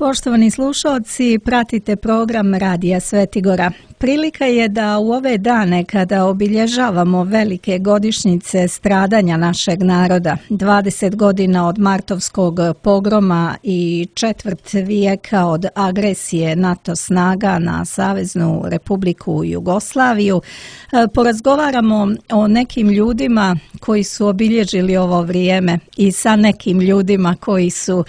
Poštovani slušalci, pratite program Radija Svetigora. Prilika je da u ove dane kada obilježavamo velike godišnjice stradanja našeg naroda, 20 godina od martovskog pogroma i četvrt vijeka od agresije NATO snaga na Saveznu Republiku Jugoslaviju, porazgovaramo o nekim ljudima koji su obilježili ovo vrijeme i sa nekim ljudima koji su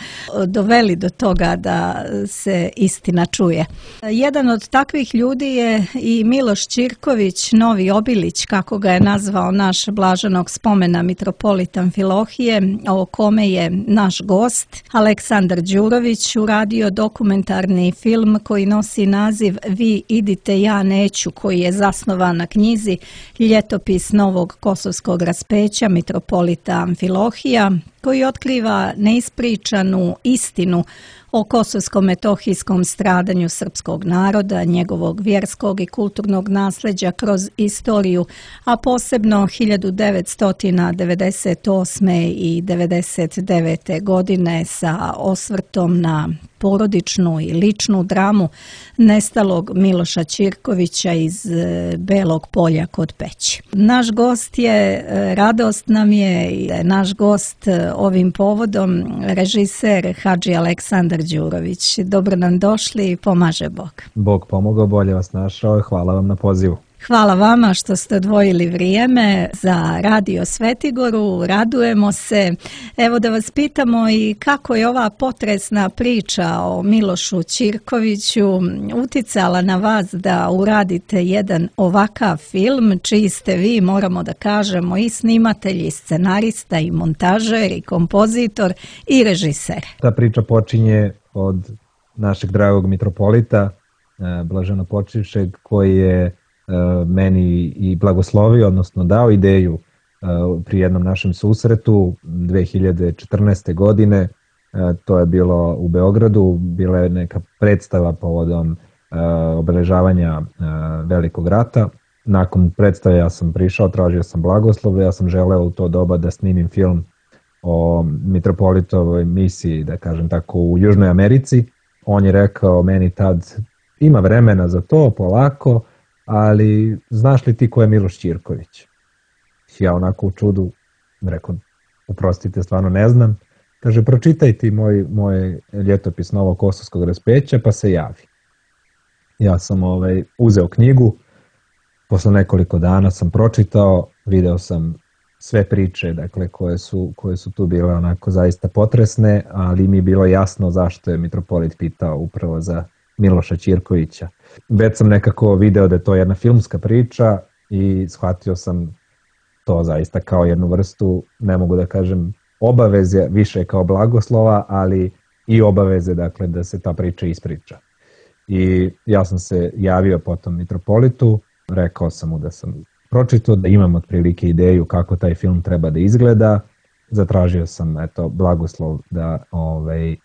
doveli do toga da se istina čuje. Jedan od takvih ljudi je i Miloš Ćirković, Novi Obilić, kako ga je nazvao naš blaženog spomena mitropolit Amfilohije, o kome je naš gost Aleksandar Đurović uradio dokumentarni film koji nosi naziv Vi idite, ja neću, koji je zasnovan na knjizi Ljetopis novog kosovskog raspeća mitropolita Amfilohija, koji otkriva neispričanu istinu o kosovsko-metohijskom stradanju srpskog naroda, njegovog vjerskog i kulturnog nasljeđa kroz istoriju, a posebno 1998. i 1999. godine sa osvrtom na porodičnu i ličnu dramu nestalog Miloša Ćirkovića iz Belog Polja kod Peći. Naš gost je, radost nam je, naš gost ovim povodom režiser Hadži Aleksandar Đurović. Dobro nam došli, pomaže Bog. Bog pomogao, bolje vas našao i hvala vam na pozivu. Hvala vama što ste odvojili vrijeme za Radio Svetigoru, radujemo se. Evo da vas pitamo i kako je ova potresna priča o Milošu Ćirkoviću uticala na vas da uradite jedan ovakav film, čiji ste vi, moramo da kažemo, i snimatelj, i scenarista, i montažer, i kompozitor, i režiser. Ta priča počinje od našeg dragog mitropolita, blaženopočivšeg, koji je meni i blagoslovio, odnosno dao ideju pri jednom našem susretu 2014. godine. To je bilo u Beogradu, bila je neka predstava povodom obeležavanja Velikog rata. Nakon predstave ja sam prišao, tražio sam blagoslov, ja sam želeo u to doba da snimim film o mitropolitovoj misiji, da kažem tako, u Južnoj Americi. On je rekao meni tad, ima vremena za to, polako, ali znaš li ti ko je Miloš Ćirković? Ja onako u čudu rekao, oprostite, stvarno ne znam. Kaže, pročitaj ti moj ljetopis novog kosovskog raspeća pa se javi. Ja sam uzeo knjigu, posle nekoliko dana sam pročitao, video sam sve priče, dakle, koje su tu bile onako zaista potresne, ali mi je bilo jasno zašto je mitropolit pitao upravo za Miloša Ćirkovića. Već sam nekako video da je to jedna filmska priča i shvatio sam to zaista kao jednu vrstu, ne mogu da kažem obaveze, više kao blagoslova, ali i obaveze, dakle, da se ta priča ispriča. I ja sam se javio potom mitropolitu, rekao sam mu da sam pročitao, da imam otprilike ideju kako taj film treba da izgleda. Zatražio sam blagoslov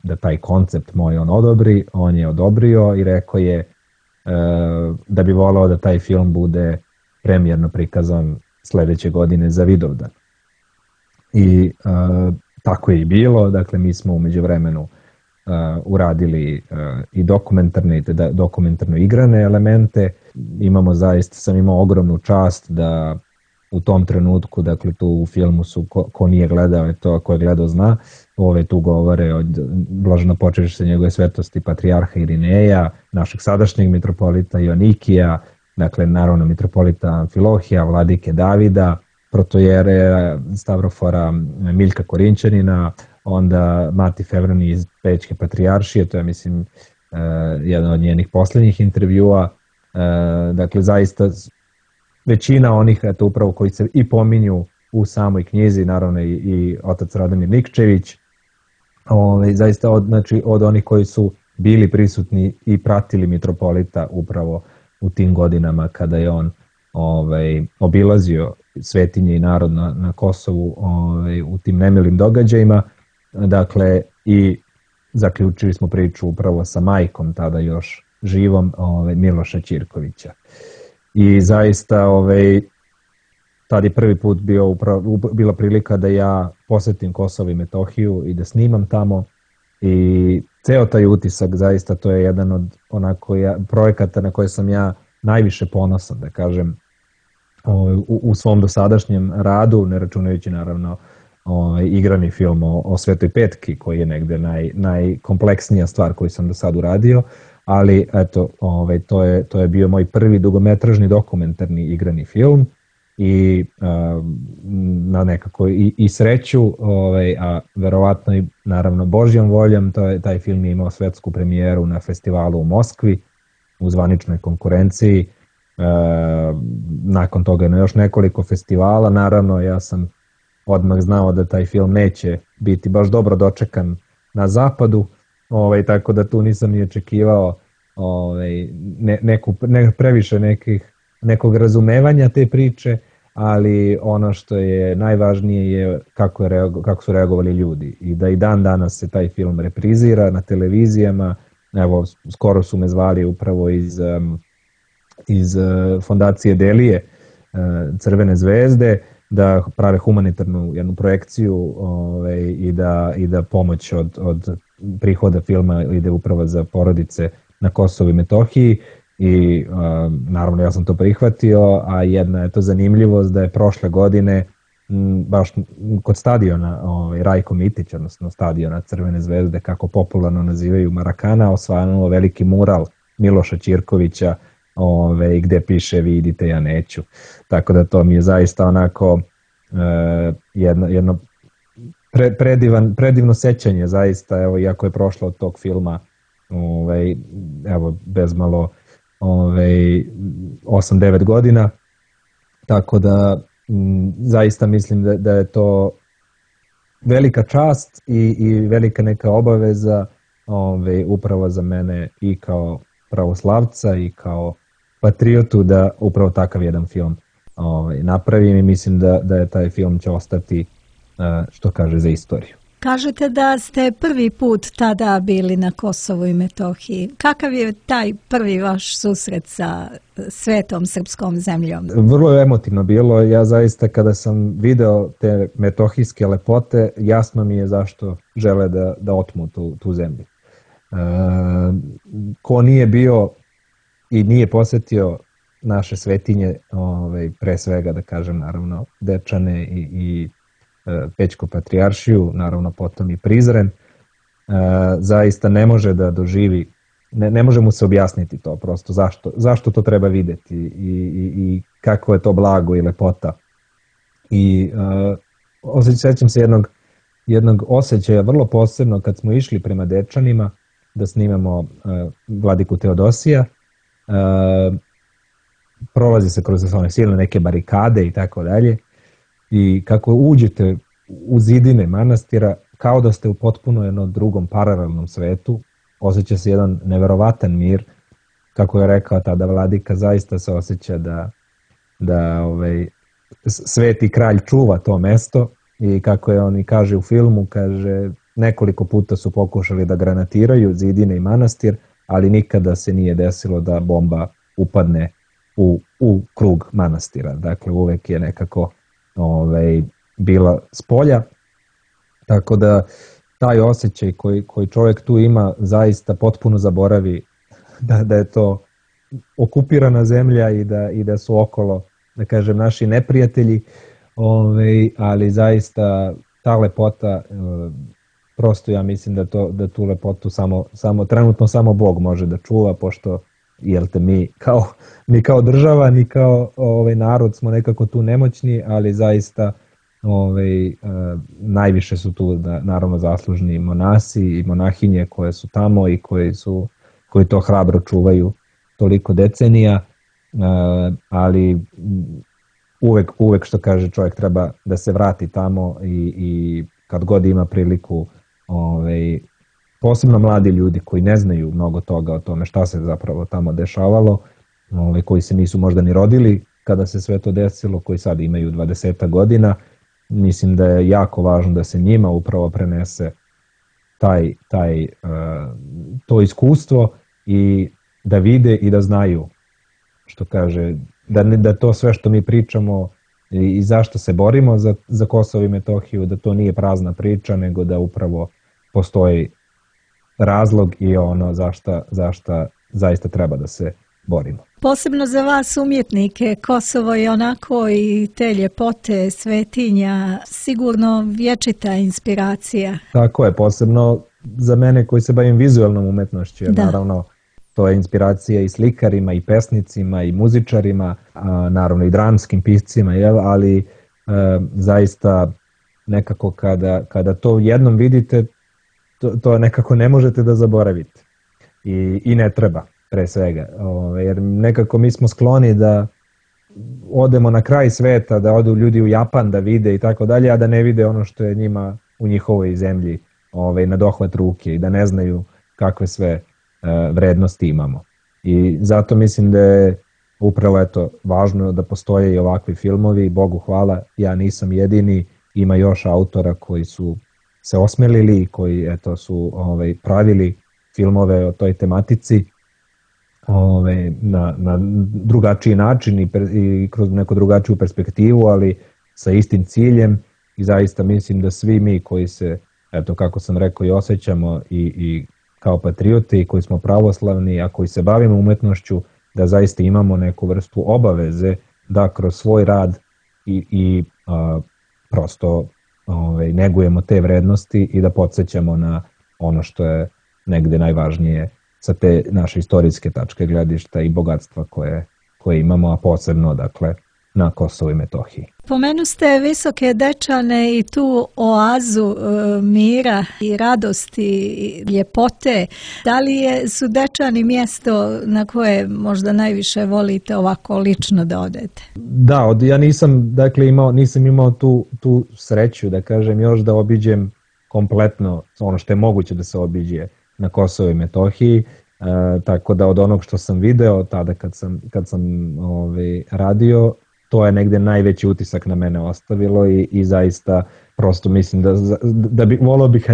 da taj koncept moj on odobri, on je odobrio i rekao je da bi volao da taj film bude premijerno prikazan sledeće godine za Vidovdan. I tako je i bilo, dakle mi smo u međuvremenu uradili i dokumentarno igrane elemente. Sam imao ogromnu čast da u tom trenutku, dakle tu u filmu su, ko nije gledao, ko je gledao zna, tu govore od blaženopočivše njegove svetosti patrijarha Irineja, našeg sadašnjeg mitropolita Joanikija, dakle naravno mitropolita Amfilohija, vladike Davida, protojere Stavrofora Miljka Korinćanina, onda Mati Fevrani iz Pećke patrijaršije, to je mislim jedan od njenih posljednjih intervjua. Dakle zaista većina onih upravo koji se i pominju u samoj knjizi, naravno i otac Radomir Nikčević, zaista od onih koji su bili prisutni i pratili mitropolita upravo u tim godinama kada je on obilazio svetinje i narod na Kosovu u tim nemilim događajima. Dakle, i zaključili smo priču upravo sa majkom, tada još živom, Miloša Ćirkovića. I zaista tad je prvi put bila prilika da ja posetim Kosovo i Metohiju i da snimam tamo. I ceo taj utisak, zaista to je jedan od onako projekata na koje sam ja najviše ponosan, da kažem, u svom dosadašnjem radu, ne računajući naravno igrani film o Svetoj Petki, koji je negde najkompleksnija stvar koju sam do sad uradio, ali eto, to je bio moj prvi dugometražni dokumentarni igrani film i na nekako i sreću, a verovatno i naravno Božjom voljom, taj film je imao svetsku premijeru na festivalu u Moskvi u zvaničnoj konkurenciji. Nakon toga na još nekoliko festivala, naravno ja sam odmah znao da taj film neće biti baš dobro dočekan na zapadu, tako da tu nisam ni očekivao previše nekog razumevanja te priče, ali ono što je najvažnije je kako su reagovali ljudi i da i dan danas se taj film reprizira na televizijama. Evo, skoro su me zvali upravo iz fondacije Delije, Crvene zvezde, da prave humanitarnu jednu projekciju i da pomoć od prihoda filma ide upravo za porodice na Kosovu i Metohiji i naravno ja sam to prihvatio, a jedna je to zanimljivost da je prošle godine baš kod stadiona Rajko Mitić, odnosno stadiona Crvene zvezde, kako popularno nazivaju Marakana, osvanuo veliki mural Miloša Ćirkovića gde piše vi idite, ja neću. Tako da to mi je zaista onako jedno predivno sećanje zaista, evo, iako je prošlo od tog filma evo, bezmalo 8-9 godina, tako da zaista mislim da je to velika čast i velika neka obaveza upravo za mene i kao pravoslavca i kao patriotu da upravo takav jedan film napravim i mislim da je taj film će ostati, što kaže, za istoriju. Kažete da ste prvi put tada bili na Kosovu i Metohiji. Kakav je taj prvi vaš susret sa svetom srpskom zemljom? Vrlo je emotivno bilo. Ja zaista kada sam video te metohijske lepote, jasno mi je zašto žele da otmu tu zemlju. Ko nije bio i nije posetio naše svetinje, pre svega da kažem naravno Dečane i Pećku patrijaršiju, naravno potom i Prizren, zaista ne može da doživi, ne može mu se objasniti to prosto, zašto to treba videti i kako je to blago i lepota. I sećam se jednog osjećaja vrlo posebno kad smo išli prema Dečanima da snimamo Vladiku Teodosija. Prolazi se kroz silne neke barikade i tako dalje i kako uđete u zidine manastira kao da ste u potpuno jednom drugom paralelnom svetu, osjeća se jedan neverovatan mir, kako je rekao tada Vladika, zaista se osjeća da sveti kralj čuva to mesto i kako je on i kaže u filmu, kaže nekoliko puta su pokušali da granatiraju zidine i manastir, ali nikada se nije desilo da bomba upadne u krug manastira. Dakle, uvek je nekako bila spolja. Tako da taj osjećaj koji čovjek tu ima zaista potpuno zaboravi da je to okupirana zemlja i da su okolo, da kažem, naši neprijatelji, ali zaista ta lepota, prosto ja mislim da tu lepotu trenutno samo Bog može da čuva, pošto mi kao država, ni kao narod smo nekako tu nemoćni, ali zaista najviše su tu naravno zaslužni monasi i monahinje koje su tamo i koji to hrabro čuvaju toliko decenija, ali uvek što kaže čovjek treba da se vrati tamo i kad god ima priliku, posebno mladi ljudi koji ne znaju mnogo toga o tome šta se zapravo tamo dešavalo, koji se nisu možda ni rodili kada se sve to desilo, koji sad imaju 20 godina, mislim da je jako važno da se njima upravo prenese to iskustvo i da vide i da znaju, što kaže, da to sve što mi pričamo i zašto se borimo za Kosovo i Metohiju, da to nije prazna priča, nego da upravo postoji razlog i ono zašta zaista treba da se borimo. Posebno za vas umjetnike, Kosovo je onako i te ljepote, svetinja, sigurno vječita inspiracija. Tako je, posebno za mene koji se bavim vizualnom umetnošću, jer naravno to je inspiracija i slikarima, i pesnicima, i muzičarima, naravno i dramskim piscima, ali zaista nekako kada to jednom vidite, to nekako ne možete da zaboravite i ne treba pre svega, jer nekako mi smo skloni da odemo na kraj sveta, da odu ljudi u Japan da vide i tako dalje, a da ne vide ono što je njima u njihovoj zemlji na dohvat ruke i da ne znaju kakve sve vrednosti imamo. I zato mislim da je upravo važno da postoje i ovakvi filmovi, Bogu hvala, ja nisam jedini, ima još autora koji su se osmelili, koji su pravili filmove o toj tematici na drugačiji način i kroz neku drugačiju perspektivu, ali sa istim ciljem i zaista mislim da svi mi koji se, kako sam rekao, i osjećamo i kao patrioti koji smo pravoslavni, a koji se bavimo umetnošću, da zaista imamo neku vrstu obaveze da kroz svoj rad i prosto negujemo te vrednosti i da podsjećamo na ono što je negde najvažnije sa te naše istorijske tačke gledišta i bogatstva koje imamo, a posebno dakle na Kosovu i Metohiji. Pomenu ste Visoke Dečane i tu oazu mira i radosti i ljepote. Da li su Dečani mjesto na koje možda najviše volite ovako lično da odete? Da, ja nisam imao tu sreću da kažem još da obiđem kompletno ono što je moguće da se obiđe na Kosovu i Metohiji, tako da od onog što sam video tada kad sam radio, to je negde najveći utisak na mene ostavilo i zaista prosto mislim da volio bih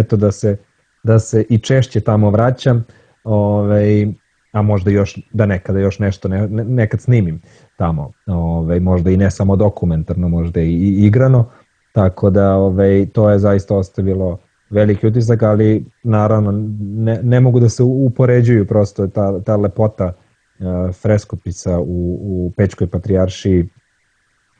da se i češće tamo vraćam, a možda još da nekada još nešto nekad snimim tamo, možda i ne samo dokumentarno, možda i igrano, tako da to je zaista ostavilo veliki utisak, ali naravno ne mogu da se upoređuju prosto ta lepota freskopisa u Pećkoj patrijaršiji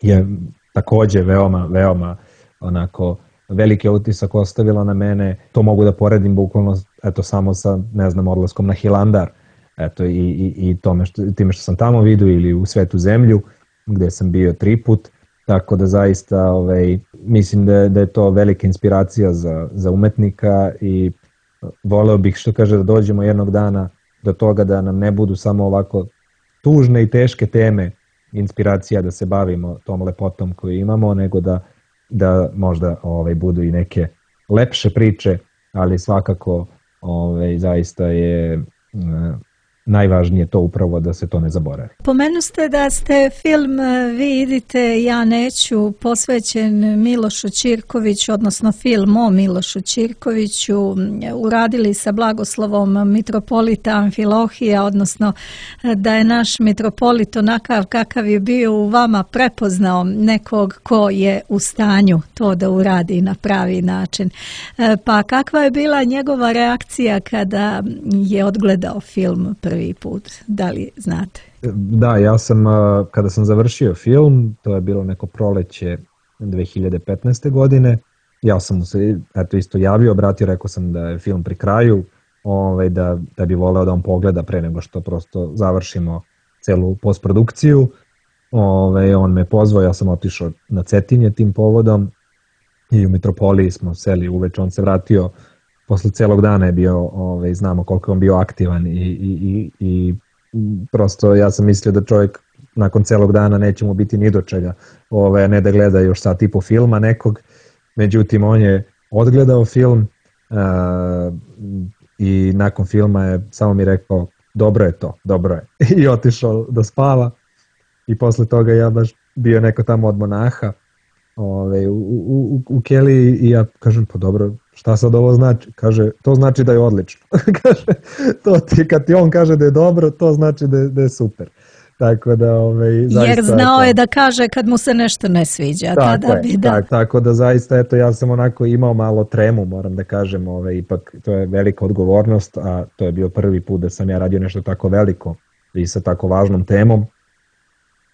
je takođe veoma onako veliki utisak ostavila na mene. To mogu da poredim bukvalno samo sa odlaskom na Hilandar, i time što sam tamo vidio, ili u Svetu zemlju gde sam bio 3 put, tako da zaista mislim da je to velika inspiracija za umetnika i voleo bih, što kaže, da dođemo jednog dana do toga da nam ne budu samo ovako tužne i teške teme inspiracija da se bavimo tom lepotom koju imamo, nego da možda budu i neke lepše priče, ali svakako zaista je najvažnije to upravo da se to ne zaboravi. Pomenu ste da ste film Vi idite, ja neću posvećen Milošu Ćirkoviću, odnosno film o Milošu Ćirkoviću, uradili sa blagoslovom mitropolita Amfilohija, odnosno da je naš mitropolit onakav kakav je bio u vama prepoznao nekog ko je u stanju to da uradi na pravi način. Pa kakva je bila njegova reakcija kada je odgledao film prvi put, da li znate? Da, ja sam, kada sam završio film, to je bilo neko proleće 2015. godine, ja sam mu se isto javio, obratio, rekao sam da je film pri kraju, da bi voleo da on pogleda pre nego što prosto završimo celu postprodukciju. On me pozvao, ja sam otišao na Cetinje tim povodom i u Mitropoliji smo seli uveče, on se vratio posle celog dana je bio, znamo koliko je on bio aktivan i prosto ja sam mislio da čovjek nakon celog dana neće mu biti ni do čega, ne da gleda još sat i po filma nekog, međutim on je odgledao film i nakon filma je samo mi rekao dobro je to, dobro je, i otišao da spava i posle toga ja baš bio neko tamo od monaha u keliji i ja kažem pa dobro, šta sad ovo znači? Kaže, to znači da je odlično. Kaže, kad ti on kaže da je dobro, to znači da je super. Tako da, zaista, jer znao je da kaže kad mu se nešto ne sviđa. Tako da zaista, eto, ja sam onako imao malo tremu, moram da kažem, ipak to je velika odgovornost, a to je bio prvi put da sam ja radio nešto tako veliko i sa tako važnom temom.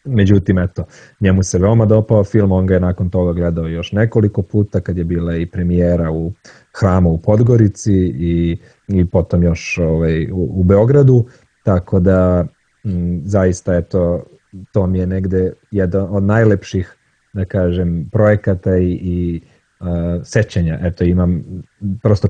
Međutim, eto, njemu se veoma dopao film, on ga je nakon toga gledao još nekoliko puta kad je bila i premijera u Hramu u Podgorici i potom još u Beogradu, tako da zaista, eto, to mi je negde jedan od najlepših, da kažem, projekata i sećanja. Eto, imam prosto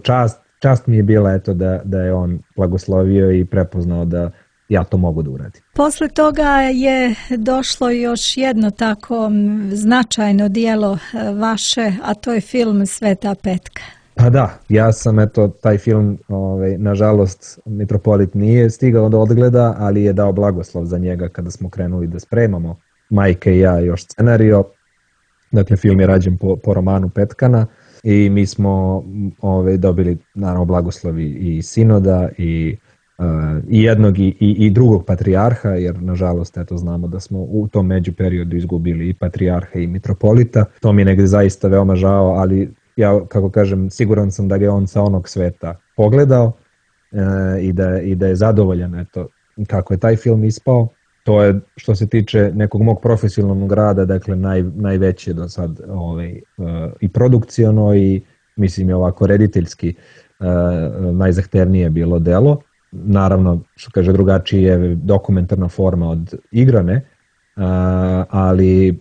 čast mi je bila, eto, da je on blagoslovio i prepoznao da ja to mogu da uradim. Posle toga je došlo još jedno tako značajno dijelo vaše, a to je film Sveta petka. Pa da, ja sam, eto, taj film, nažalost, Mitropolit nije stigao da odgleda, ali je dao blagoslov za njega kada smo krenuli da spremamo, majka i ja, još scenario. Dakle, film je rađen po romanu Petkana i mi smo dobili, naravno, blagoslovi i sinoda i jednog i drugog patrijarha, jer nažalost, eto, znamo da smo u tom međuperiodu izgubili i patrijarha i mitropolita. To mi je negde zaista veoma žao, ali ja, kako kažem, siguran sam da ga je on sa onog sveta pogledao i da je zadovoljan, eto, kako je taj film ispao. To je, što se tiče nekog mog profesionalnog rada, dakle, najveće do sad i produkciono i, mislim, je ovako rediteljski najzahtevnije bilo delo. Naravno, što kaže, drugačiji je dokumentarna forma od igrane, ali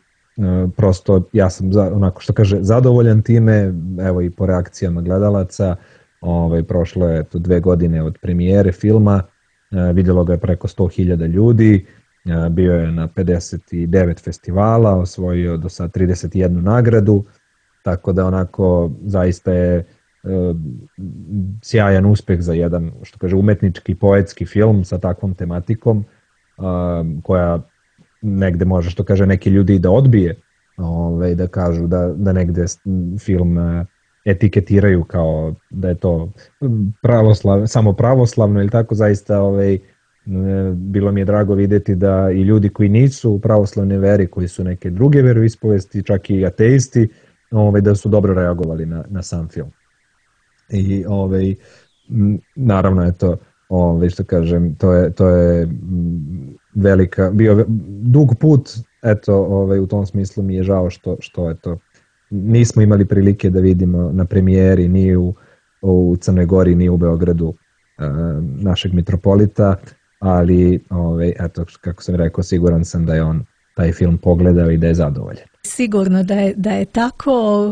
prosto ja sam, onako što kaže, zadovoljan time, evo i po reakcijama gledalaca. Prošlo je 2 godine od premijere filma, vidjelo ga je preko 100.000 ljudi, bio je na 59 festivala, osvojio do sad 31 nagradu, tako da onako zaista je sjajan uspeh za jedan, što kaže, umetnički, poetski film sa takvom tematikom, koja negde može, što kaže, neki ljudi i da odbije, da kažu da negde film etiketiraju kao da je to samo pravoslavno ili tako. Zaista bilo mi je drago vidjeti da i ljudi koji nisu u pravoslavnoj veri, koji su neke druge veroispovesti, čak i ateisti, da su dobro reagovali na sam film. I naravno, eto, što kažem, to je bio dug put, eto, u tom smislu mi je žao što eto, nismo imali prilike da vidimo na premijeri ni u Crnoj Gori, ni u Beogradu našeg mitropolita, ali eto, kako sam rekao, siguran sam da je on taj film pogledao i da je zadovoljan. Sigurno da je tako.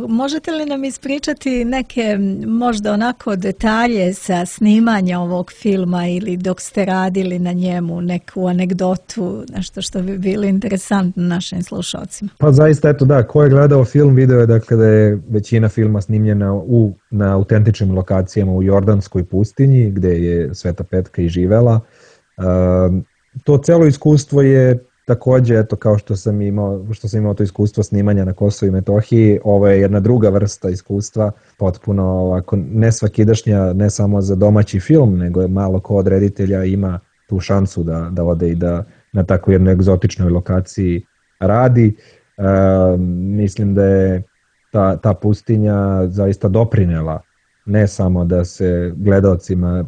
Možete li nam ispričati neke možda onako detalje sa snimanja ovog filma ili dok ste radili na njemu, neku anegdotu, nešto što bi bilo interesantno našim slušalcima? Pa zaista, eto, da, ko je gledao film video je, dakle, da je većina filma snimljena na autentičnim lokacijama u Jordanskoj pustinji, gde je Sveta Petka i živela. To celo iskustvo je takođe, eto, kao što sam imao to iskustvo snimanja na Kosovu i Metohiji, ovo je jedna druga vrsta iskustva, potpuno ovako nesvakidašnja, ne samo za domaći film, nego je malo ko od reditelja ima tu šansu da ode i da na tako jednoj egzotičnoj lokaciji radi. Mislim da je ta pustinja zaista doprinela ne samo da se gledaocima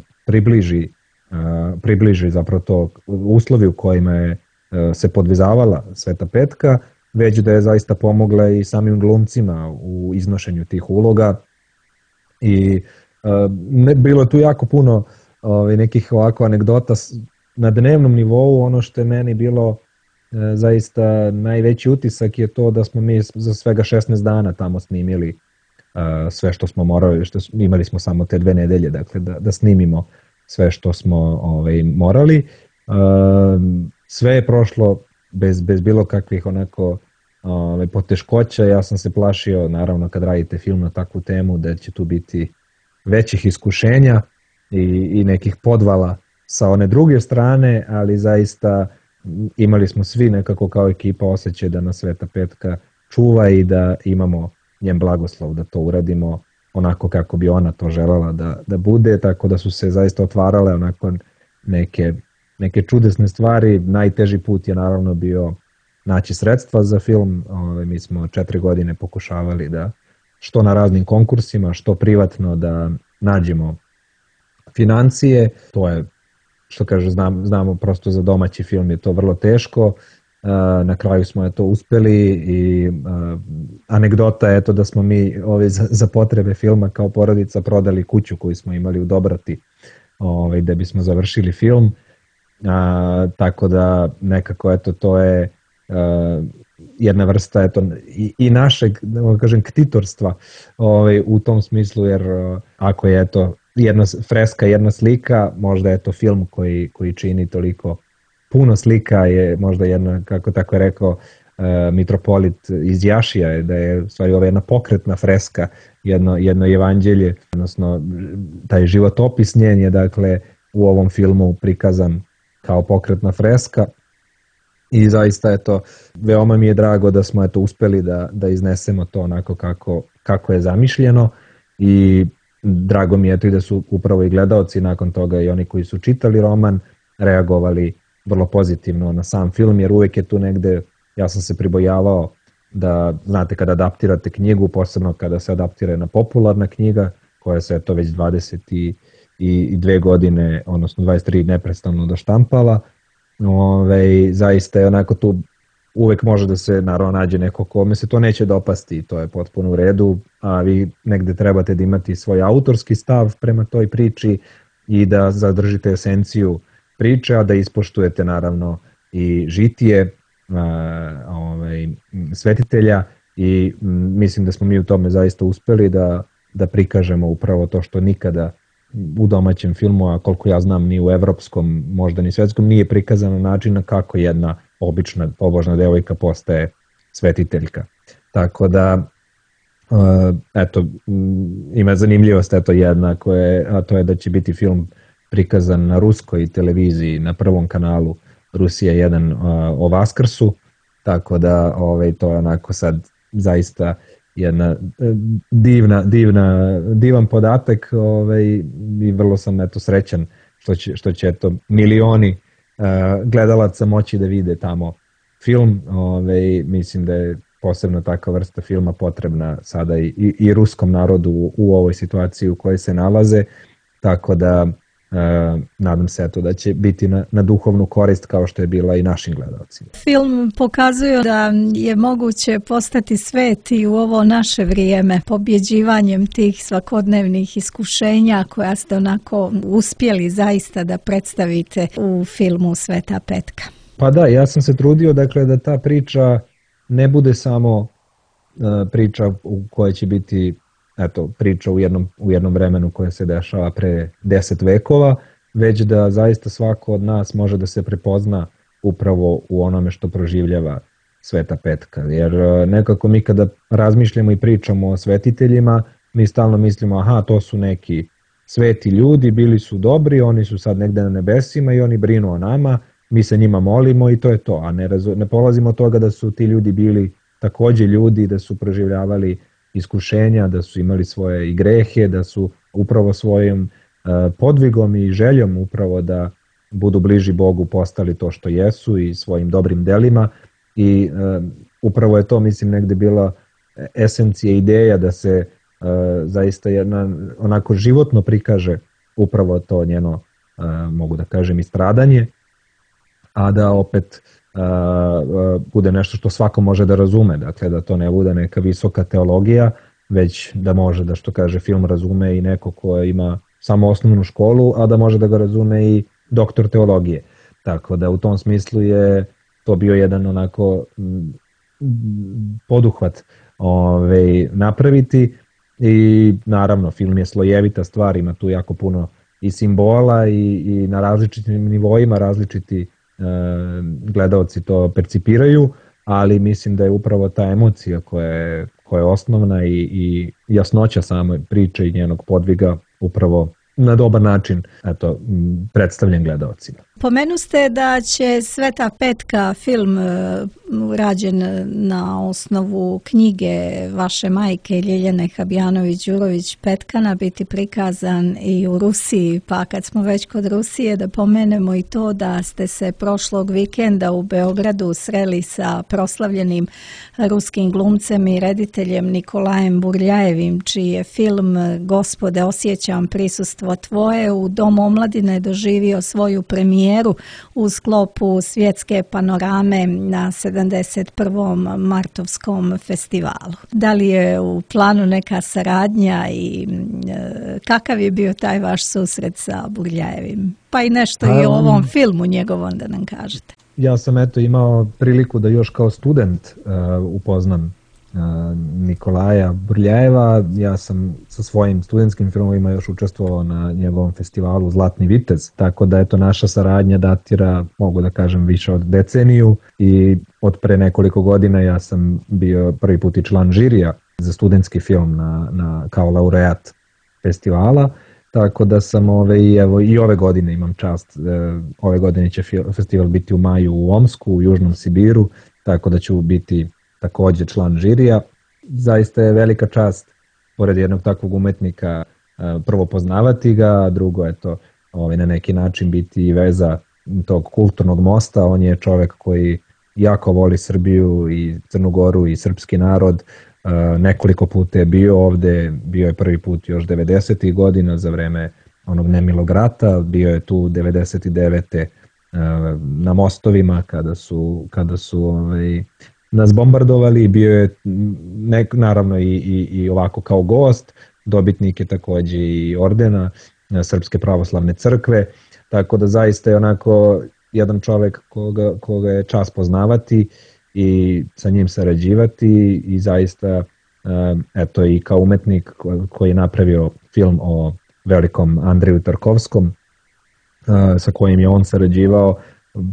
približi zapravo to uslovi u kojima je se podvizavala Sveta Petka, već da je zaista pomogla i samim glumcima u iznošenju tih uloga i bilo je tu jako puno nekih ovako anegdota na dnevnom nivou. Ono što je meni bilo zaista najveći utisak je to da smo mi za svega 16 dana tamo snimili sve što smo morali, imali smo samo te 2 nedelje, dakle, da snimimo sve što smo morali. Sve je prošlo bez bilo kakvih onako poteškoća. Ja sam se plašio, naravno, kad radite film na takvu temu, da će tu biti većih iskušenja i nekih podvala sa one druge strane, ali zaista imali smo svi nekako kao ekipa osjećaj da nas Sveta Petka čuva i da imamo njen blagoslov da to uradimo onako kako bi ona to želela da bude, tako da su se zaista otvarale onako neke neke čudesne stvari. Najteži put je naravno bio naći sredstva za film. Mi smo 4 godine pokušavali da što na raznim konkursima, što privatno da nađemo financije. To je, što kaže, znamo prosto za domaći film je to vrlo teško. Na kraju smo to uspeli i anegdota je to da smo mi za potrebe filma kao porodica prodali kuću koju smo imali u Dobrati da bismo završili film. Tako da nekako to je jedna vrsta i našeg, da kažem, ktitorstva u tom smislu, jer ako je jedna freska, jedna slika, možda je to film koji čini toliko puno slika, je možda jedna, kako tako je rekao mitropolit iz Jašija, da je u stvari ova jedna pokretna freska, jedno evanđelje, odnosno taj životopis njen je dakle u ovom filmu prikazan kao pokretna freska i zaista veoma mi je drago da smo uspeli da iznesemo to onako kako je zamišljeno i drago mi je i da su upravo i gledaoci nakon toga i oni koji su čitali roman reagovali vrlo pozitivno na sam film, jer uvek je tu negde, ja sam se pribojavao da, znate, kada adaptirate knjigu, posebno kada se adaptira jedna popularna knjiga, koja se već 22 godine, odnosno 23 neprestano doštampala, zaista je onako tu uvek može da se naravno nađe neko kome se to neće dopasti i to je potpuno u redu, a vi negde trebate da imate svoj autorski stav prema toj priči i da zadržite esenciju priče, a da ispoštujete naravno i žitije svetitelja i mislim da smo mi u tome zaista uspeli da prikažemo upravo to što nikada u domaćem filmu, a koliko ja znam ni u evropskom, možda ni svetskom, nije prikazano načina kako jedna obična pobožna devojka postaje svetiteljka. Tako da, ima zanimljivost jedna, a to je da će biti film prikazan na ruskoj televiziji, na prvom kanalu Rusija 1 o Vaskrsu, tako da to je onako sad zaista jedna divan podatak i vrlo sam srećan što će milioni gledalaca moći da vide tamo film. Mislim da je posebno takva vrsta filma potrebna sada i ruskom narodu u ovoj situaciji u kojoj se nalaze, tako da nadam se da će biti na duhovnu korist kao što je bila i našim gledalcima. Film pokazuje da je moguće postati sveti u ovo naše vrijeme pobjeđivanjem tih svakodnevnih iskušenja koja ste onako uspjeli zaista da predstavite u filmu Sveta petka. Pa da, ja sam se trudio dakle da ta priča ne bude samo priča u kojoj će biti priča u jednom vremenu koje se dešava pre 10 vekova, već da zaista svako od nas može da se prepozna upravo u onome što proživljava Sveta petka. Jer nekako mi kada razmišljamo i pričamo o svetiteljima, mi stalno mislimo, aha, to su neki sveti ljudi, bili su dobri, oni su sad negde na nebesima i oni brinu o nama, mi se njima molimo i to je to. A ne polazimo od toga da su ti ljudi bili takođe ljudi, da su proživljavali iskušenja, da su imali svoje i grehe, da su upravo svojim podvigom i željom upravo da budu bliži Bogu postali to što jesu i svojim dobrim delima i upravo je to, mislim, negde bila esencija ideja da se zaista jedna onako životno prikaže upravo to njeno, mogu da kažem, i stradanje, a da opet bude nešto što svako može da razume, dakle da to ne bude neka visoka teologija, već da može da, što kaže film, razume i neko ko ima samo osnovnu školu, a da može da ga razume i doktor teologije. Tako da u tom smislu je to bio jedan onako poduhvat napraviti i naravno film je slojevita stvar, ima tu jako puno i simbola i na različitim nivoima različiti gledaoci to percipiraju, ali mislim da je upravo ta emocija koja je osnovna i jasnoća same priče i njenog podviga upravo na dobar način predstavljen gledaocima. Pomenuste da će Sveta petka, film rađen na osnovu knjige vaše majke Ljiljane Habjanović-Đurović Petkana biti prikazan i u Rusiji, pa kad smo već kod Rusije da pomenemo i to da ste se prošlog vikenda u Beogradu sreli sa proslavljenim ruskim glumcem i rediteljem Nikolajem Burljajevim, čiji je film Gospode, osjećam prisustvo tvoje u Domu omladine doživio svoju premijeru u sklopu svjetske panorame na 71. Martovskom festivalu. Da li je u planu neka saradnja i kakav je bio taj vaš susret sa Burljajevim? Pa i nešto i o ovom filmu njegovom da nam kažete. Ja sam imao priliku da još kao student upoznam Nikolaja Burljajeva. Ja sam sa svojim studentskim filmovima još učestvovao na njegovom festivalu Zlatni vitez, tako da naša saradnja datira, mogu da kažem, više od deceniju i od pre nekoliko godina ja sam bio prvi put i član žirija za studentski film kao laureat festivala, tako da sam i ove godine imam čast, ove godine će festival biti u maju u Omsku, u Južnom Sibiru, tako da ću biti takođe član žirija. Zaista je velika čast, pored jednog takvog umetnika, prvo poznavati ga, a drugo na neki način biti i veza tog kulturnog mosta. On je čovek koji jako voli Srbiju i Crnu Goru i srpski narod. Nekoliko puta je bio ovde, bio je prvi put još 90. godina za vreme onog nemilog rata, bio je tu 99. na mostovima kada su nas bombardovali, bio je naravno i ovako kao gost, dobitnik je takođe i ordena Srpske pravoslavne crkve, tako da zaista je onako jedan čovek koga je čast poznavati i sa njim sarađivati i zaista i kao umetnik koji je napravio film o velikom Andreju Tarkovskom sa kojim je on sarađivao,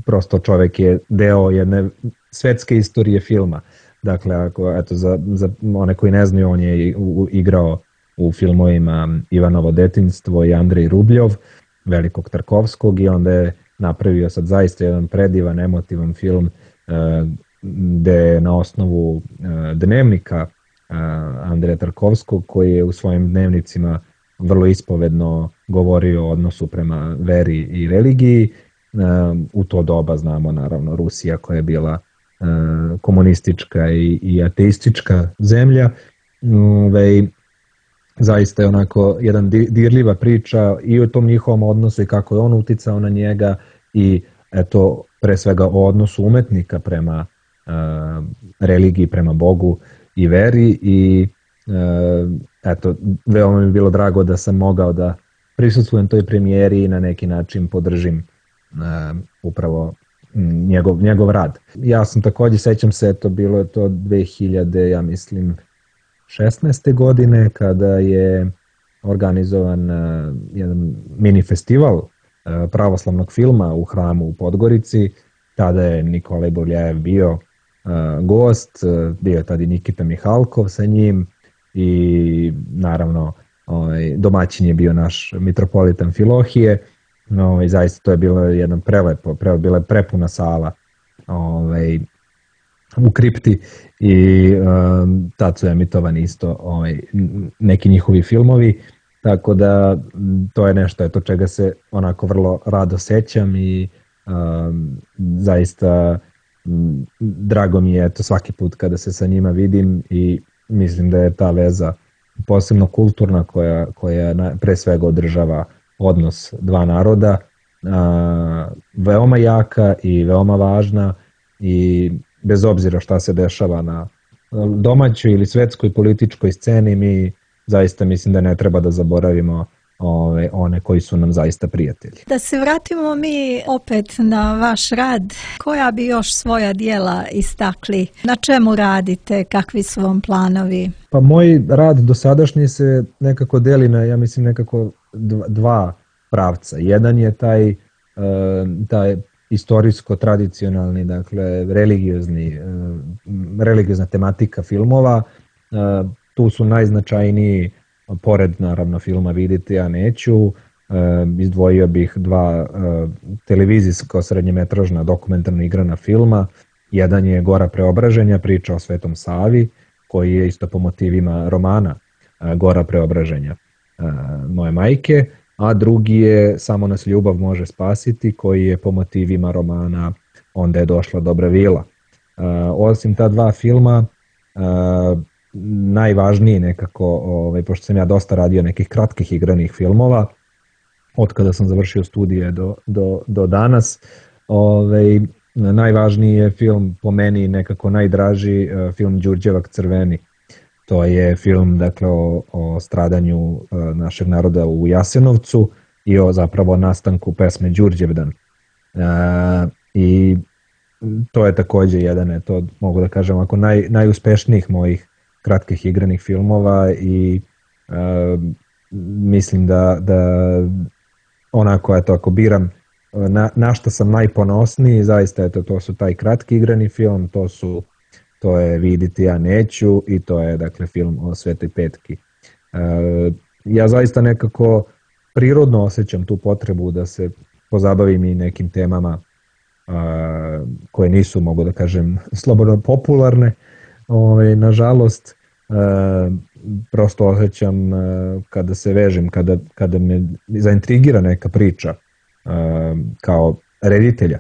prosto čovek je deo jedne svetske istorije filma. Dakle, za one koji ne znaju, on je igrao u filmovima Ivanovo detinjstvo i Andrej Rubljov, velikog Tarkovskog, i onda je napravio sad zaista jedan predivan, emotivan film gde na osnovu dnevnika Andreja Tarkovskog, koji je u svojim dnevnicima vrlo ispovedno govorio o odnosu prema veri i religiji. U to doba znamo naravno Rusija koja je bila komunistička i ateistička zemlja. Zaista je onako jedan dirljiva priča i o tom njihovom odnosu i kako je on uticao na njega i pre svega o odnosu umetnika prema religiji, prema Bogu i veri i veoma mi je bilo drago da sam mogao da prisustvujem toj premijeri i na neki način podržim upravo njegov rad. Ja sam takođe, sećam se, bilo je to 2000, ja mislim, 16. godine kada je organizovan jedan mini festival pravoslavnog filma u hramu u Podgorici. Tada je Nikolaj Burljajev bio gost, bio je tada i Nikita Mihalkov sa njim i naravno domaćin je bio naš mitropolit Amfilohije. Zaista to je bilo jedno prelepo, bila je prepuna sala u kripti i tad su emitovani isto neki njihovi filmovi, tako da to je nešto čega se onako vrlo rado sećam i zaista drago mi je svaki put kada se sa njima vidim i mislim da je ta veza posebno kulturna koja pre svega održava odnos dva naroda, veoma jaka i veoma važna i bez obzira šta se dešava na domaćoj ili svetskoj političkoj sceni, mi zaista mislim da ne treba da zaboravimo one koji su nam zaista prijatelji. Da se vratimo mi opet na vaš rad, koja bi još svoja dijela istakli? Na čemu radite? Kakvi su vam planovi? Pa moj rad dosadašnji se nekako deli na, ja mislim, nekako dva pravca. Jedan je taj istorijsko-tradicionalni, dakle religiozna tematika filmova. Tu su najznačajniji, pored naravno filma Vidite, ja neću, Izdvojio bih dva televizijsko srednjemetražna dokumentarno igrana filma. Jedan je Gora preobraženja, priča o Svetom Savi, koji je isto po motivima romana Gora preobraženja moje majke, a drugi je Samo nas ljubav može spasiti, koji je po motivima romana Onda je došla dobra vila. Osim ta dva filma, najvažniji nekako, pošto sam ja dosta radio nekih kratkih igranih filmova, od kada sam završio studije do danas, najvažniji je film, po meni nekako najdraži, film Đurđevak Crveni. To je film, dakle, o stradanju našeg naroda u Jasenovcu i o zapravo nastanku pesme Đurđevdan. I to je takođe jedan, to mogu da kažem, ako najuspešnijih mojih kratkih igranih filmova i mislim da onako, ako biram na što sam najponosniji, zaista to su taj kratki igrani film, to je Viditi ja neću i to je, dakle, film o Svetoj Petki. Ja zaista nekako prirodno osjećam tu potrebu da se pozabavim i nekim temama koje nisu, mogu da kažem, slobodno popularne. Nažalost, prosto osjećam kada se vežem, kada me zaintrigira neka priča kao reditelja,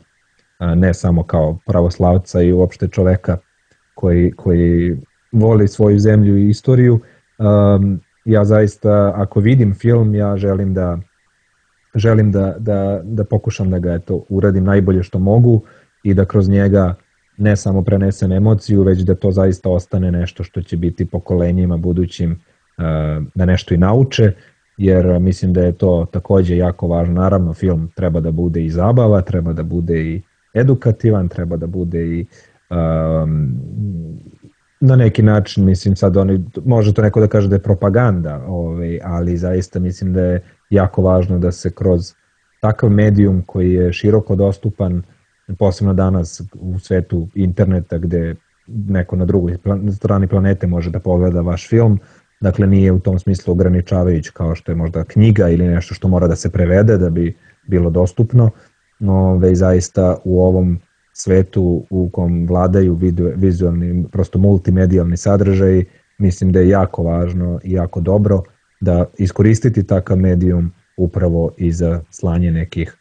ne samo kao pravoslavca i uopšte čoveka koji voli svoju zemlju i istoriju. Ja zaista, ako vidim film, ja želim da pokušam da ga uradim najbolje što mogu i da kroz njega ne samo prenesem emociju, već da to zaista ostane nešto što će biti pokolenjima budućim da nešto i nauče, jer mislim da je to takođe jako važno. Naravno, film treba da bude i zabava, treba da bude i edukativan, treba da bude i na neki način, mislim, sad može to neko da kaže da je propaganda, ali zaista mislim da je jako važno da se kroz takav medijum koji je široko dostupan, posebno danas u svetu interneta gde neko na drugoj strani planete može da pogleda vaš film, dakle nije u tom smislu ograničavajući kao što je možda knjiga ili nešto što mora da se prevede da bi bilo dostupno, već zaista u ovom svetu u kom vladaju vizualni, prosto multimedijalni sadržaji, mislim da je jako važno i jako dobro da iskoristiti takav medijum upravo i za slanje nekih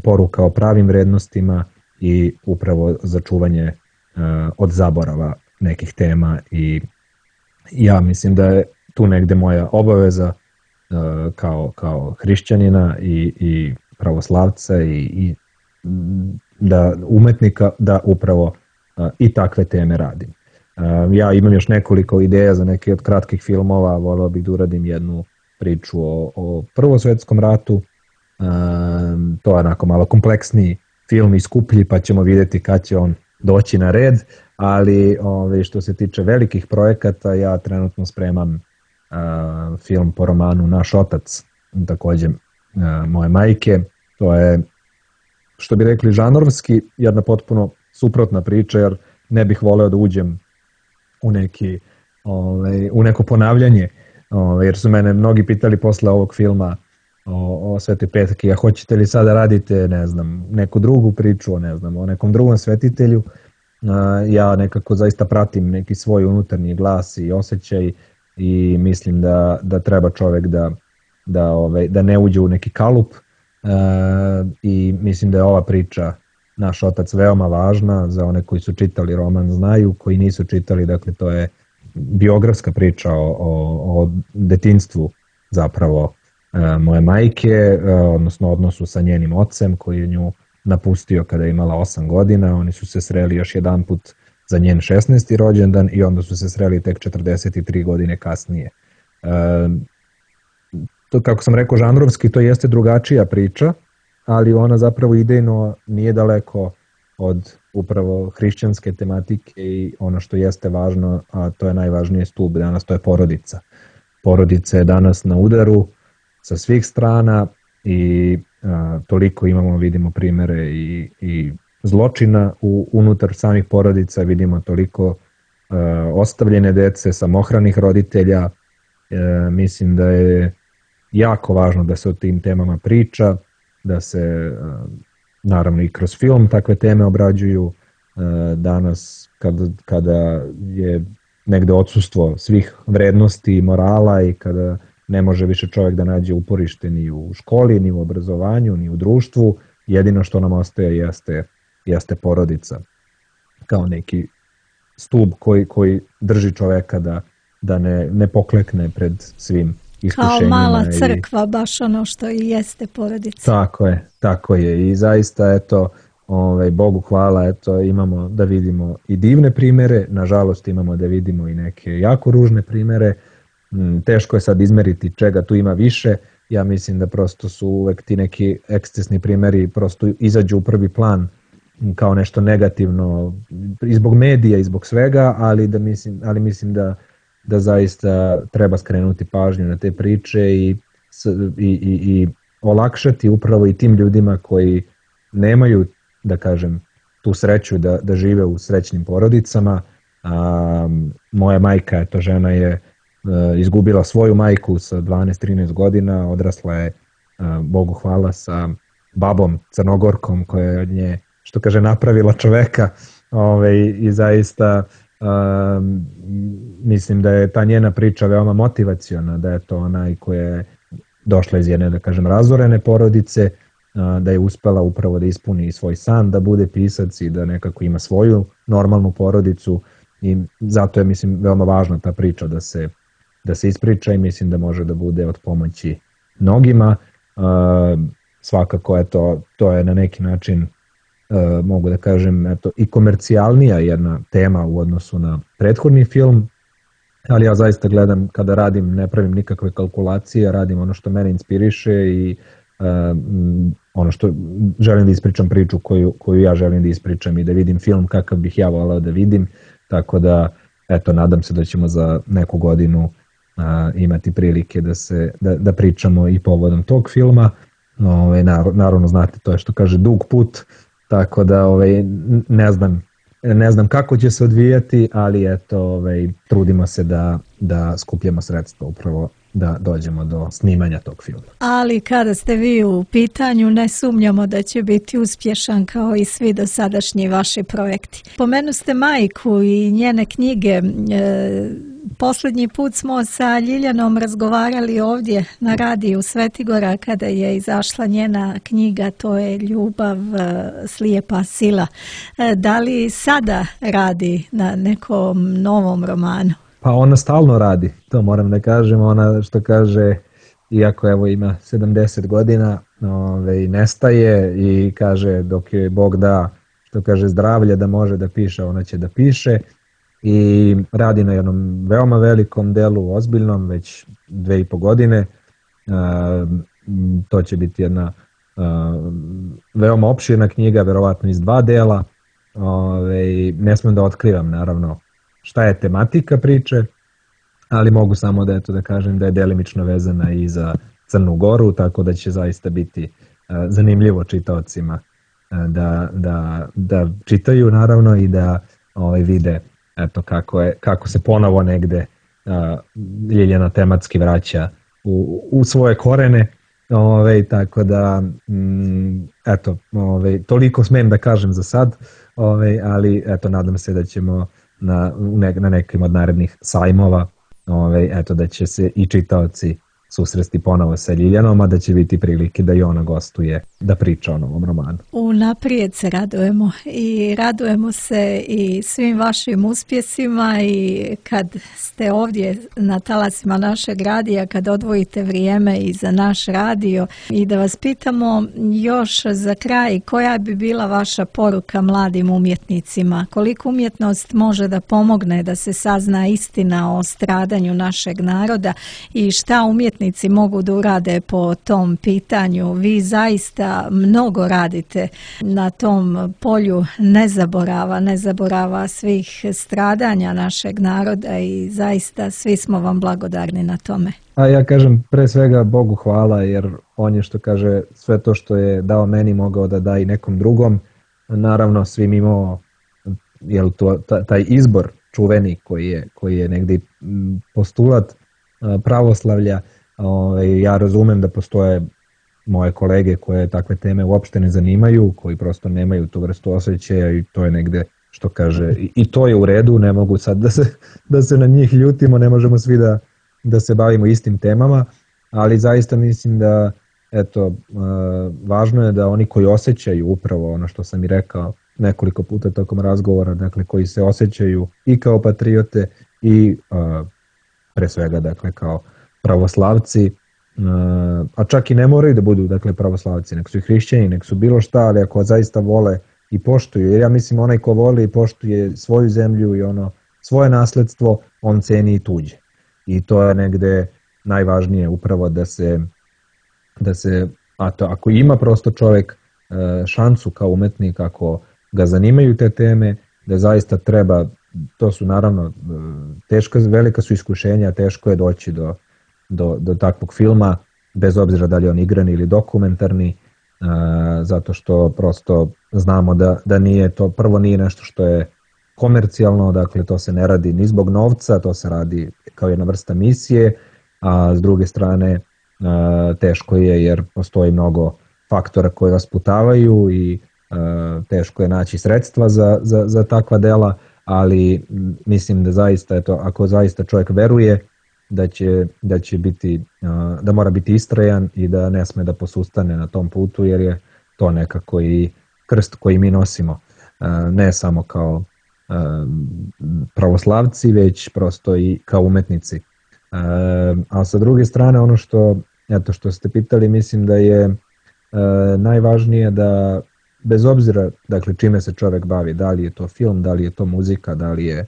poruka o pravim vrednostima i upravo za čuvanje od zaborava nekih tema. I ja mislim da je tu negde moja obaveza kao hrišćanina i pravoslavca i da umetnika da upravo i takve teme radim. Ja imam još nekoliko ideja za neke od kratkih filmova, voleo bih da uradim jednu priču o Prvom svetskom ratu, to je onako malo kompleksniji film i skuplji, pa ćemo vidjeti kad će on doći na red, ali što se tiče velikih projekata, ja trenutno spremam film po romanu Naš otac, takođe moje majke. To je, što bi rekli, žanrovski jedna potpuno suprotna priča, jer ne bih voleo da uđem u neko ponavljanje, jer su mene mnogi pitali posle ovog filma o Svetoj Petki, a hoćete li sada radite, ne znam, neku drugu priču, o nekom drugom svetitelju. Ja nekako zaista pratim neki svoj unutarnji glas i osjećaj i mislim da treba čovek da ne uđe u neki kalup, i mislim da je ova priča Naš otac veoma važna. Za one koji su čitali roman znaju, koji nisu čitali, dakle to je biografska priča o detinjstvu zapravo moje majke, odnosno odnosu sa njenim ocem koji je nju napustio kada je imala 8 godina. Oni su se sreli još jedan put za njen 16. rođendan i onda su se sreli tek 43 godine kasnije. To, kako sam rekao, žanrovski to jeste drugačija priča, ali ona zapravo idejno nije daleko od upravo hrišćanske tematike i ono što jeste važno, a to je najvažnije stub danas, to je porodica. Porodica je danas na udaru sa svih strana i toliko vidimo primere i zločina unutar samih porodica, vidimo toliko ostavljene dece, samohranih roditelja. Mislim da je jako važno da se o tim temama priča, da se naravno i kroz film takve teme obrađuju. Danas kada je negde odsustvo svih vrednosti i morala i kada ne može više čovjek da nađe uporište ni u školi, ni u obrazovanju, ni u društvu, jedino što nam ostaje jeste porodica kao neki stub koji drži čoveka da ne poklekne pred svim iskušenjima. Kao mala crkva, baš ono što i jeste porodica. Tako je i zaista eto, Bogu hvala, eto, imamo da vidimo i divne primere, nažalost imamo da vidimo i neke jako ružne primere. Teško je sad izmeriti čega tu ima više, ja mislim da prosto su uvek ti neki ekscesni primeri prosto izađu u prvi plan kao nešto negativno i zbog medija i zbog svega, ali mislim da zaista treba skrenuti pažnju na te priče i olakšati upravo i tim ljudima koji nemaju, da kažem, tu sreću da žive u srećnim porodicama. Moja majka, žena je izgubila svoju majku sa 12-13 godina, odrasla je, Bogu hvala, sa babom Crnogorkom koja je od nje, što kaže, napravila čoveka i zaista mislim da je ta njena priča veoma motivaciona, da je to ona koja je došla iz jedne, da kažem, razorene porodice, da je uspela upravo da ispuni svoj san, da bude pisac i da nekako ima svoju normalnu porodicu i zato je, mislim, veoma važna ta priča da se ispriča i mislim da može da bude od pomoći mnogima. Svakako, eto, to je na neki način, mogu da kažem, eto, i komercijalnija jedna tema u odnosu na prethodni film, ali ja zaista gledam, kada radim, ne pravim nikakve kalkulacije, radim ono što mene inspiriše i ono što želim da ispričam, priču koju ja želim da ispričam i da vidim film kakav bih ja volao da vidim, tako da, eto, nadam se da ćemo za neku godinu imati prilike da pričamo i povodom tog filma. Naravno, znate, to je, što kaže, dug put, tako da ne znam kako će se odvijati, ali eto, trudimo se da skupljamo sredstva upravo da dođemo do snimanja tog filma. Ali kada ste vi u pitanju, ne sumnjamo da će biti uspješan kao i svi dosadašnji vaši projekti. Pomenu ste majku i njene knjige. Posljednji put smo sa Ljiljanom razgovarali ovdje na radiju Svetigora kada je izašla njena knjiga, to je Ljubav, slijepa sila. Da li sada radi na nekom novom romanu? Pa ona stalno radi, to moram da kažem. Ona, što kaže, iako evo ima 70 godina, nestaje i kaže dok joj Bog da, što kaže, zdravlje da može da piše, ona će da piše. I radi na jednom veoma velikom delu, ozbiljnom, već 2,5 godine. To će biti jedna veoma opširna knjiga, verovatno iz 2 dela. Ne smem da otkrivam, naravno, šta je tematika priče, ali mogu samo da kažem da je delimično vezana i za Crnu Goru, tako da će zaista biti zanimljivo čitaocima da čitaju, naravno, i da vide, eto, kako se ponovo negde Ljiljana tematski vraća u svoje korene, tako da eto, toliko smem da kažem za sad, ali eto, nadam se da ćemo na nekim od narednih sajmova, eto, da će se i čitaoci susresti ponovo sa Ljiljanom, a da će biti prilike da i ona gostuje, da priča o novom romanu. Unaprijed se radujemo i radujemo se i svim vašim uspjesima i kad ste ovdje na talasima našeg radija, kad odvojite vrijeme i za naš radio. I da vas pitamo još za kraj, koja bi bila vaša poruka mladim umjetnicima? Koliko umjetnost može da pomogne da se sazna istina o stradanju našeg naroda i šta umjetnici mogu da urade po tom pitanju? Vi zaista mnogo radite na tom polju nezaborava svih stradanja našeg naroda i zaista svi smo vam blagodarni na tome. A ja kažem pre svega Bogu hvala, jer on je, što kaže, sve to što je dao meni mogao da da i nekom drugom. Naravno, svim imao taj izbor čuveni koji je negdje postulat pravoslavlja, Ja razumem da postoje moje kolege koje takve teme uopšte ne zanimaju, koji prosto nemaju tu vrstu osjećaja i to je negde, što kaže, i to je u redu, ne mogu sad da se na njih ljutimo, ne možemo svi da se bavimo istim temama, ali zaista mislim da važno je da oni koji osjećaju upravo ono što sam i rekao nekoliko puta tokom razgovora, dakle koji se osjećaju i kao patriote i pre svega dakle kao pravoslavci, a čak i ne moraju da budu dakle pravoslavci, nek su i hrišćani, nek su bilo šta, ali ako zaista vole i poštuju, jer ja mislim onaj ko voli i poštuje svoju zemlju i ono svoje nasledstvo, on ceni i tuđe. I to je negde najvažnije upravo da se ako ima prosto čovjek šansu kao umetnik, ako ga zanimaju te teme, da zaista treba, to su naravno velika su iskušenja, teško je doći do takvog filma, bez obzira da li je on igrani ili dokumentarni, zato što prosto znamo da nije to, prvo nije nešto što je komercijalno, dakle to se ne radi ni zbog novca, to se radi kao jedna vrsta misije, a s druge strane teško je jer postoji mnogo faktora koji vas sputavaju i teško je naći sredstva za takva dela, ali mislim da zaista, ako zaista čovjek veruje da će biti, da mora biti istrajan i da ne sme da posustane na tom putu, jer je to nekako i krst koji mi nosimo, ne samo kao pravoslavci, već prosto i kao umetnici. A sa druge strane, ono što ste pitali, mislim da je najvažnije da bez obzira dakle čime se čovjek bavi, da li je to film, da li je to muzika, da li je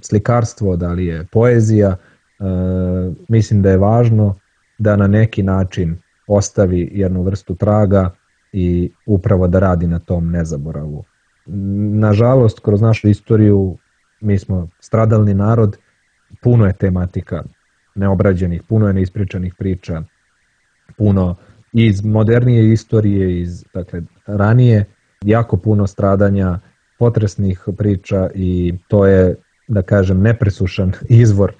slikarstvo, da li je poezija, mislim da je važno da na neki način ostavi jednu vrstu traga i upravo da radi na tom nezaboravu. Nažalost, kroz našu istoriju mi smo stradalni narod, puno je tematika neobrađenih, puno je neispričanih priča, puno iz modernije istorije, iz dakle, ranije, jako puno stradanja, potresnih priča i to je, da kažem, nepresušan izvor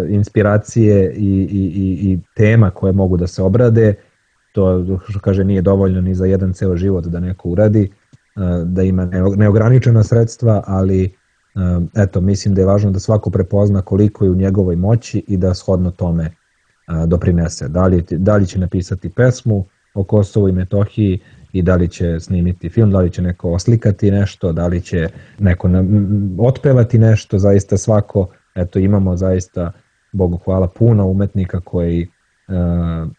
inspiracije i tema koje mogu da se obrade. To, što kaže, nije dovoljno ni za jedan ceo život da neko uradi, da ima neograničena sredstva, ali mislim da je važno da svako prepozna koliko je u njegovoj moći i da shodno tome doprinese. Da li će napisati pesmu o Kosovu i Metohiji i da li će snimiti film, da li će neko oslikati nešto, da li će neko otpevati nešto, zaista svako, imamo zaista, Bogu hvala, puno umetnika koji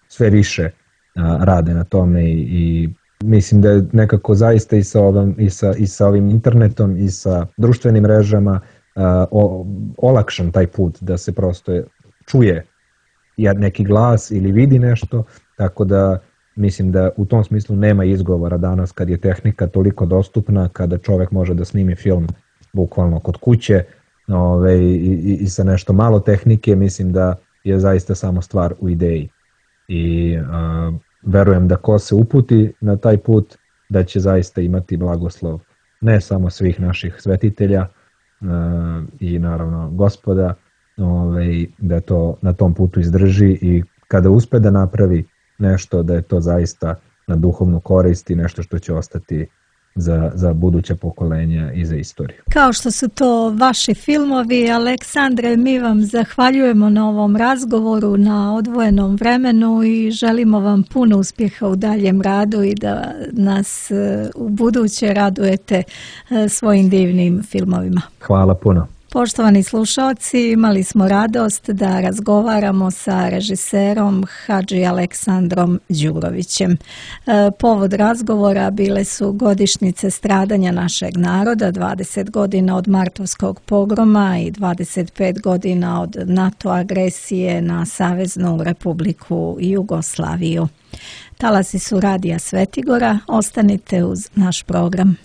sve više rade na tome i mislim da je nekako zaista i sa ovim internetom i sa društvenim mrežama olakšan taj put da se prosto čuje neki glas ili vidi nešto, tako da mislim da u tom smislu nema izgovora danas kad je tehnika toliko dostupna, kada čovjek može da snimi film bukvalno kod kuće i sa nešto malo tehnike, mislim da je zaista samo stvar u ideji. I verujem da ko se uputi na taj put, da će zaista imati blagoslov ne samo svih naših svetitelja i naravno Gospoda, da to na tom putu izdrži i kada uspe da napravi nešto, da je to zaista na duhovnu korist i nešto što će ostati za buduća pokolenja i za istoriju. Kao što su to vaši filmovi, Aleksandre, mi vam zahvaljujemo na ovom razgovoru, na odvojenom vremenu i želimo vam puno uspjeha u daljem radu i da nas u buduće radujete svojim divnim filmovima. Hvala puno. Poštovani slušalci, imali smo radost da razgovaramo sa režiserom Hadži Aleksandrom Đurovićem. Povod razgovora bile su godišnjice stradanja našeg naroda, 20 godina od Martovskog pogroma i 25 godina od NATO agresije na Saveznu Republiku Jugoslaviju. Talasi su Radija Svetigora, ostanite uz naš program.